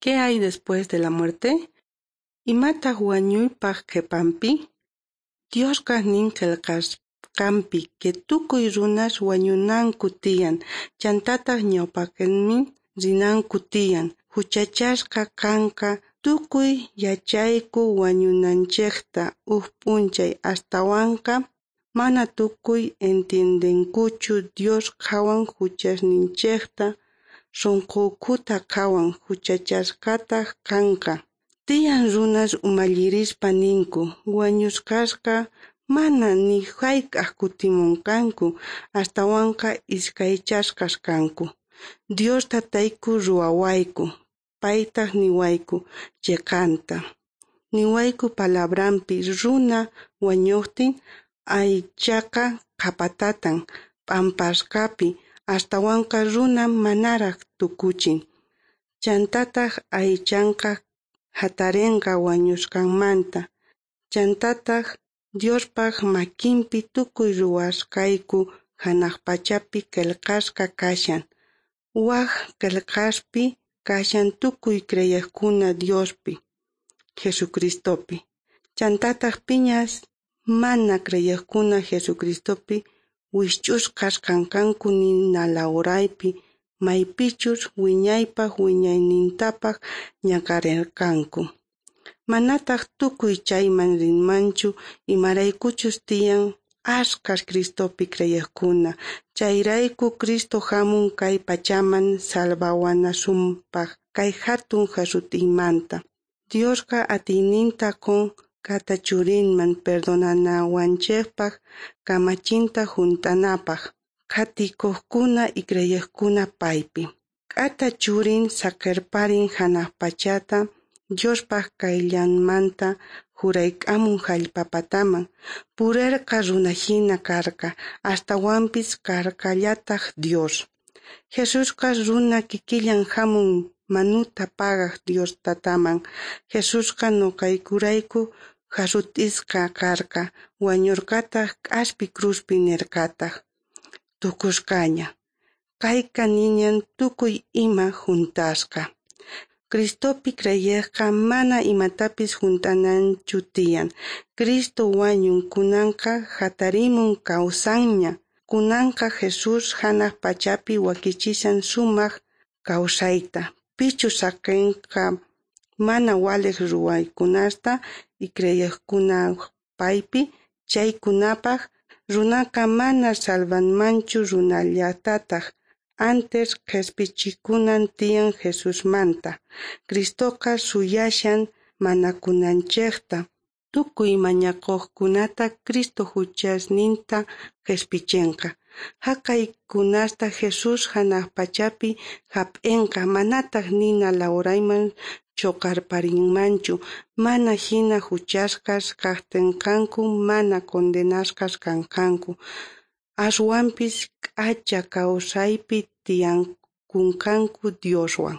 ¿Qué hay después de la muerte? Imataj wañuypaj qhepanpi? Diosqa nin qhelqasqanpi que tukuy runas wañunanku tiyan, chantataj ñawpaqenman rinanku tiyan, juchachasqa kanqa. Tukuy yachayku wañunanchejta uj p'unchay, astawanqa mana tukuy entiendenkuchu. Dios qhawan juchasninchejta, sonqo ukhuta qhawan, juchachasqataj kanqa. Tiyan runas umallirispa ninku wañusqasqa mana ni jayk'aj kutimonqanku, astawanqa iskaychasqas kanku. Dios tatayku ruwawayku, paytaj niwayku cheqanta. Niwayku palabranpi runa wañojtin aychaqa qhapatatan p'ampasqapi, astawanqa runa manaraj tukuchin. Chantataj aychanqa jatarenqa wañusqanmanta. Chantataj Diospaj makinpi tukuy ruwasqayku janaj pachapi qhelqasqa kashan. Waj qhelqaspi kashan tukuy creyejkuna Diospi, Jesucristopi. Chantataj piñas mana creyejkuna Jesucristopi wijch'usqas kanqanku nina lawraypi, maypichus wiñaypaj wiñaynintapaj ñak'arerqanku. Manataj tukuy chayman rinmanchu, imaraykuchus tiyan ashkhas Cristopi creyejkuna. Chayrayku Cristo jamun kay pachaman salvawanasunpaj kay jatun jasut'iymanta. Diosqa atiyninta qon k'ata churinman perdonanawanchejpaj, kamachinta junt'anapaj, qhatikojkuna y creyejkuna paypi. K'ata churin saqerparin janaj pachata, Diospaj qayllanmanta jurayk'amun jallp'a pataman. Purerqa runajina karqa, astawanpis karqallataj Dios. Jesusqa runa kikillan jamun manuta pagaj Dios tataman. Jesusqa noqaykurayku jasut'isqa karqa, wañorqataj k'aspi cruzpi, nerqataj: tukusqaña. Kayqa niñan tukuy ima junt'asqa. Cristopi creyejqa mana imatapis junt'ananchu tiyan. Cristo wañun, kunanqa jatarimun, kawsanña. Kunanqa Jesús janaj pachapi wakichishan sumaj kawsayta. Pichus saqenqa mana walej ruwaykunasta y creyejkuna paypi, chaykunapaj runaqa mana salvanmanchu runallatataj. Antes qhespichikunan tiyan Jesusmanta. Cristoqa suyashan manakunanchejta. Tukuy mañakojkunata Cristo juchasninta qhespichenqa. Jaqaykunasta Jesús janaj pachapi jap'enqa, manataj nina lawrayman choqarparinmanchu. Mana jina juchasqas kajtenqanku, mana condenasqas kanqanku. Aswanpis k'acha kawsaypi tiyakunqanku Dioswan.